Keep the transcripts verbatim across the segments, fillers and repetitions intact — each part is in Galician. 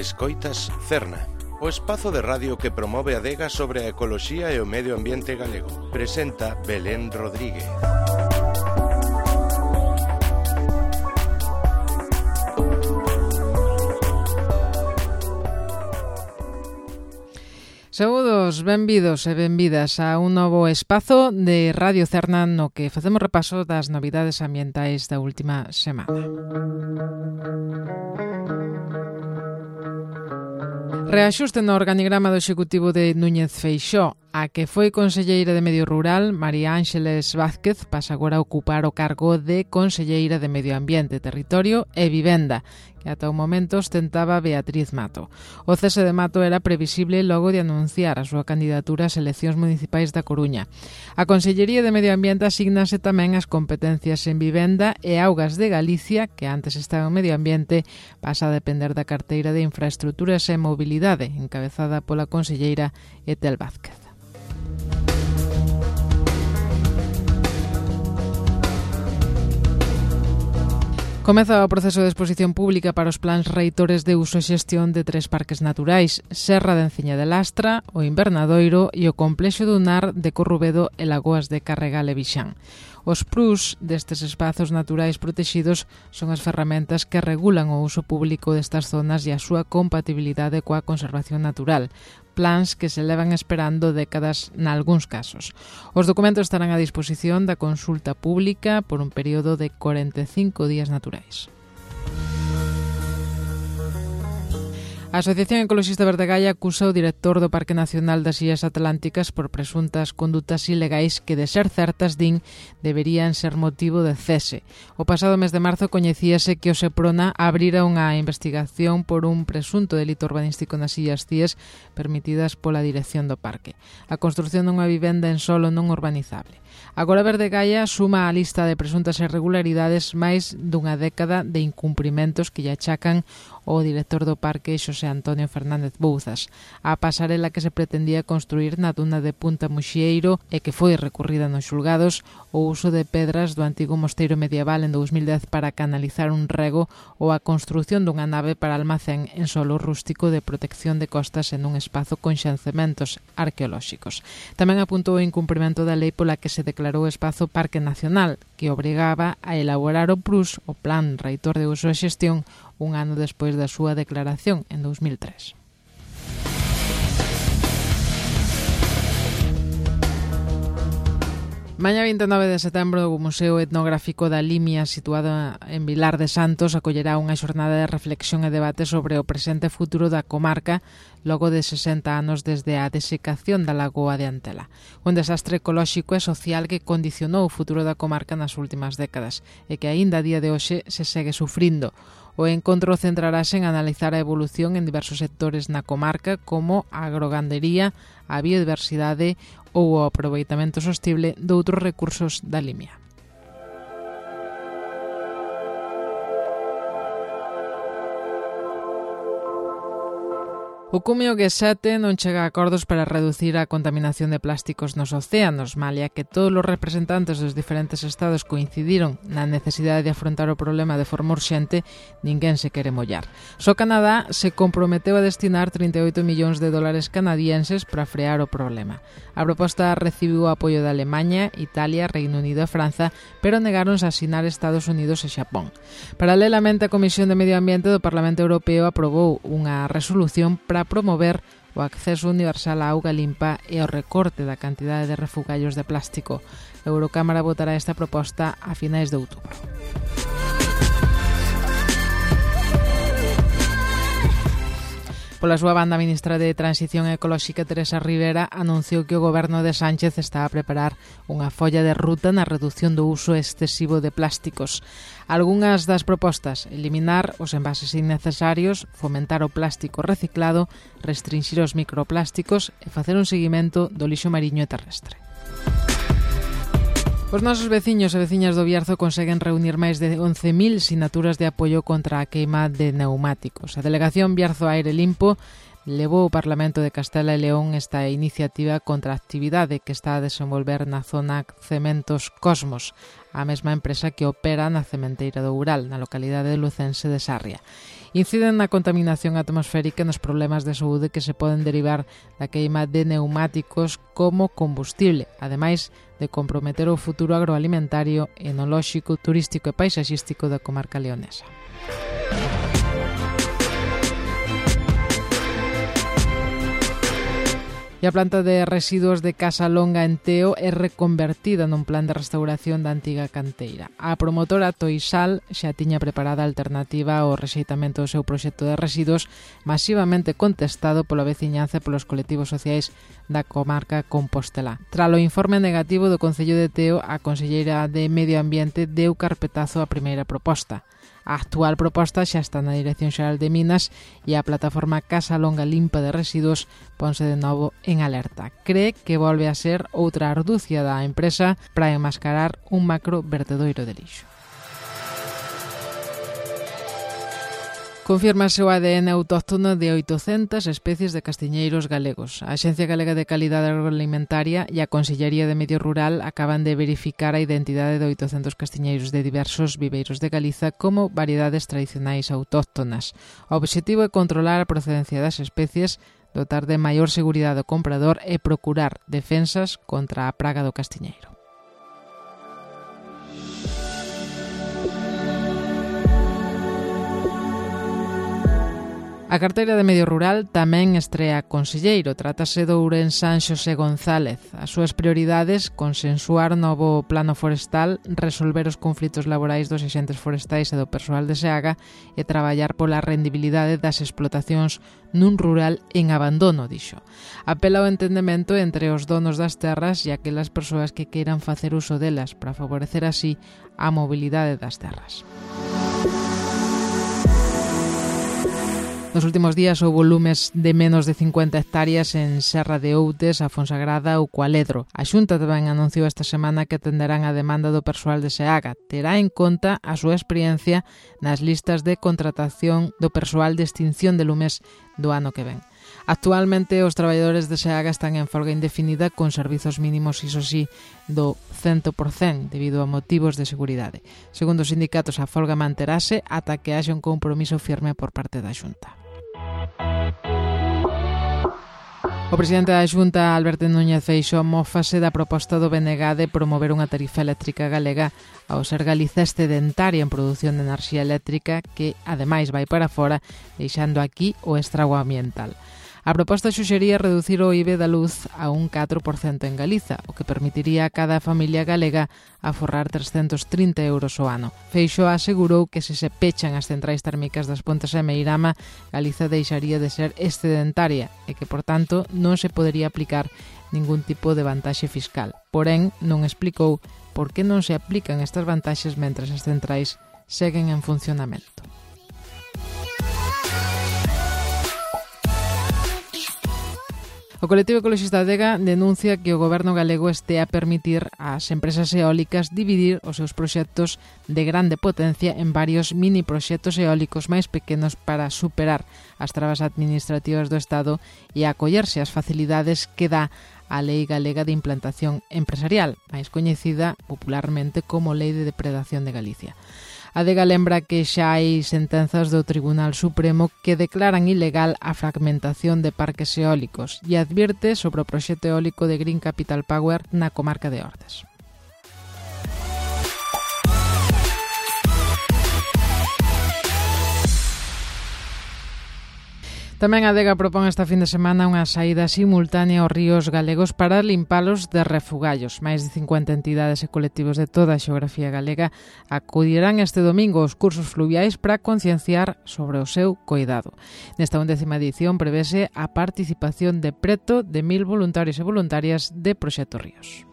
Escoitas Cerna, o espazo de radio que promove a adega sobre a ecoloxía e o medio ambiente galego. Presenta Belén Rodríguez. Saúdos, benvidos e benvidas a un novo espazo de Radio Cerna no que facemos repaso das novidades ambientais da última semana. Reaxuste no organigrama do Executivo de Núñez Feixóo. A que foi conselleira de Medio Rural, María Ángeles Vázquez, pasa agora a ocupar o cargo de conselleira de Medio Ambiente, Territorio e Vivenda, que ata o momento ostentaba Beatriz Mato. O cese de Mato era previsible logo de anunciar a súa candidatura ás eleccións municipais da Coruña. A Consellería de Medio Ambiente asignase tamén as competencias en vivenda e augas de Galicia, que antes estaba en Medio Ambiente, pasa a depender da carteira de Infraestruturas e Mobilidade, encabezada pola conselleira Etel Vázquez. Comeza o proceso de exposición pública para os plans reitores de uso e xestión de tres parques naturais, Serra de Enciña de Lastra, o Invernadoiro e o Complexo dunar de Corrubedo e Lagoas de Carregal e Vixán. Os P R U S destes espazos naturais protexidos son as ferramentas que regulan o uso público destas zonas e a súa compatibilidade coa conservación natural, plans que se levan esperando décadas nalgúns casos. Os documentos estarán a disposición da consulta pública por un período de corenta e cinco días naturais. A Asociación Ecoloxista Verdegaia acusa o director do Parque Nacional das Illas Atlánticas por presuntas condutas ilegais que, de ser certas, din, deberían ser motivo de cese. O pasado mes de marzo coñecíase que o Seprona abrira unha investigación por un presunto delito urbanístico nas Illas Cíes permitidas pola dirección do parque. A construción dunha vivenda en solo non urbanizable. Agora Verdegaia suma á lista de presuntas irregularidades máis dunha década de incumprimentos que lle achacan o director do parque Xosé Antonio Fernández Bouzas. A pasarela que se pretendía construir na duna de Punta Muxieiro e que foi recurrida nos xulgados, o uso de pedras do antigo mosteiro medieval en dous mil dez para canalizar un rego ou a construción dunha nave para almacén en solo rústico de protección de costas en un espazo con xancementos arqueolóxicos. Tamén apuntou o incumprimento da lei pola que se declarou o espazo Parque Nacional, que obrigaba a elaborar o P R U S, o Plan Reitor de Uso e Xestión, un ano despois da súa declaración, en dous mil tres. Mañá vinte e nove de setembro o Museo Etnográfico da Limia, situado en Vilar de Santos, acollerá unha xornada de reflexión e debate sobre o presente e futuro da comarca logo de sesenta anos desde a desecación da lagoa de Antela. Un desastre ecolóxico e social que condicionou o futuro da comarca nas últimas décadas e que aínda a día de hoxe se segue sufrindo. O encontro centrarase en analizar a evolución en diversos sectores na comarca como a agrogandería, a biodiversidade ou o aproveitamento sostible doutros recursos da Limia. O Cumio G sete non chega a acordos para reducir a contaminación de plásticos nos océanos, malia que todos os representantes dos diferentes estados coincidiron na necesidade de afrontar o problema de forma urxente, ninguén se quere mollar. Só Canadá se comprometeu a destinar trinta e oito millóns de dólares canadienses para frear o problema. A proposta recibiu o apoio de Alemanha, Italia, Reino Unido e Franza, pero negáronse a asinar Estados Unidos e Xapón. Paralelamente, a Comisión de Medio Ambiente do Parlamento Europeo aprobou unha resolución para promover o acceso universal á auga limpa e o recorte da cantidade de refugallos de plástico. A Eurocámara votará esta proposta a finais de outubro. Pola súa banda, a ministra de Transición Ecolóxica, Teresa Rivera, anunciou que o goberno de Sánchez está a preparar unha folla de ruta na reducción do uso excesivo de plásticos. Algunhas das propostas: eliminar os envases innecesarios, fomentar o plástico reciclado, restringir os microplásticos e facer un seguimento do lixo mariño e terrestre. Os nosos veciños e veciñas do Bierzo conseguen reunir máis de once mil sinaturas de apoio contra a queima de neumáticos. A Delegación Bierzo Aire Limpo levou o Parlamento de Castela e León esta iniciativa contra a actividade que está a desenvolver na zona Cementos Cosmos. a mesma empresa que opera na cementeira do Ural, na localidade lucense de Sarria. Inciden na contaminación atmosférica e nos problemas de saúde que se poden derivar da queima de neumáticos como combustible, ademais de comprometer o futuro agroalimentario, enolóxico, turístico e paisaxístico da comarca leonesa. E a planta de residuos de Casa Longa en Teo é reconvertida nun plan de restauración da antiga canteira. A promotora Toisal xa tiña preparada a alternativa ao rexeitamento do seu proxecto de residuos, masivamente contestado pola veciñanza e polos colectivos sociais da comarca compostelá. Tralo informe negativo do Concello de Teo, a conselleira de Medio Ambiente deu carpetazo á primeira proposta. A actual proposta xa está na Dirección Xeral de Minas e a plataforma Casa Longa Limpa de Residuos ponse de novo en alerta. Cree que volve a ser outra arducia da empresa para enmascarar un macro vertedoiro de lixo. Confírmase o A D N autóctono de oitocentas especies de castiñeiros galegos. A Axencia Galega de Calidade Agroalimentaria e a Consellería de Medio Rural acaban de verificar a identidade de oitocentos castiñeiros de diversos viveiros de Galiza como variedades tradicionais autóctonas. O obxectivo é controlar a procedencia das especies, dotar de maior seguridade ao comprador e procurar defensas contra a praga do castiñeiro. A carteira de Medio Rural tamén estrea conselleiro. Trátase do ourensán Xosé González. As súas prioridades, consensuar novo plano forestal, resolver os conflitos laborais dos axentes forestais e do persoal de SEAGA e traballar pola rendibilidade das explotacións nun rural en abandono, dixo. Apela ao entendemento entre os donos das terras e aquelas persoas que queiran facer uso delas para favorecer así a mobilidade das terras. Nos últimos días houbo lumes de menos de cincuenta hectáreas en Serra de Outes, a Fonsagrada ou Cualedro. A Xunta tamén anunciou esta semana que atenderán a demanda do persoal de SEAGA. Terá en conta a súa experiencia nas listas de contratación do persoal de extinción de lumes do ano que ven. Actualmente os traballadores de SEAGA están en folga indefinida con servizos mínimos, iso sí, do cento por cento debido a motivos de seguridade. Segundo os sindicatos, a folga manterase ata que haxa un compromiso firme por parte da Xunta. O presidente da Xunta, Alberto Núñez Feixóo, mófase da proposta do B N G de promover unha tarifa eléctrica galega ao ser Galiza excedentaria en produción de enerxía eléctrica que, ademais, vai para fora, deixando aquí o estrago ambiental. A proposta xuxería reducir o I V da luz a un catro por cento en Galiza, o que permitiría a cada familia galega aforrar trescentos trinta euros ao ano. Feixóo asegurou que se se pechan as centrais térmicas das Pontes e Meirama, Galiza deixaría de ser excedentaria e que, por tanto, non se podería aplicar ningún tipo de vantaxe fiscal. Porén, non explicou por que non se aplican estas vantaxes mentres as centrais seguen en funcionamento. O colectivo ecoloxista Adega denuncia que o goberno galego este a permitir ás empresas eólicas dividir os seus proxectos de grande potencia en varios mini proxectos eólicos máis pequenos para superar as trabas administrativas do Estado e acollerse ás facilidades que dá a Lei Galega de Implantación Empresarial, máis coñecida popularmente como Lei de Depredación de Galicia. A Adega lembra que xa hai sentenzas do Tribunal Supremo que declaran ilegal a fragmentación de parques eólicos e advierte sobre o proxecto eólico de Green Capital Power na comarca de Ordes. Tamén a Adega propón esta fin de semana unha saída simultánea aos ríos galegos para limpalos de refugallos. Máis de cincuenta entidades e colectivos de toda a xeografía galega acudirán este domingo aos cursos fluviais para concienciar sobre o seu coidado. Nesta undécima edición prevese a participación de preto de mil voluntarios e voluntarias de Proxecto Ríos.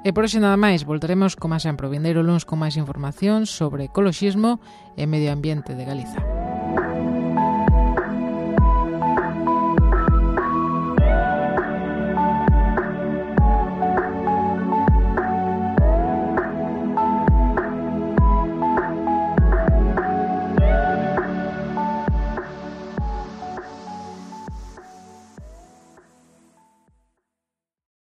E por hoxe nada máis, voltaremos como sempre o vindeiro luns con máis información sobre ecoloxismo e medio ambiente de Galiza.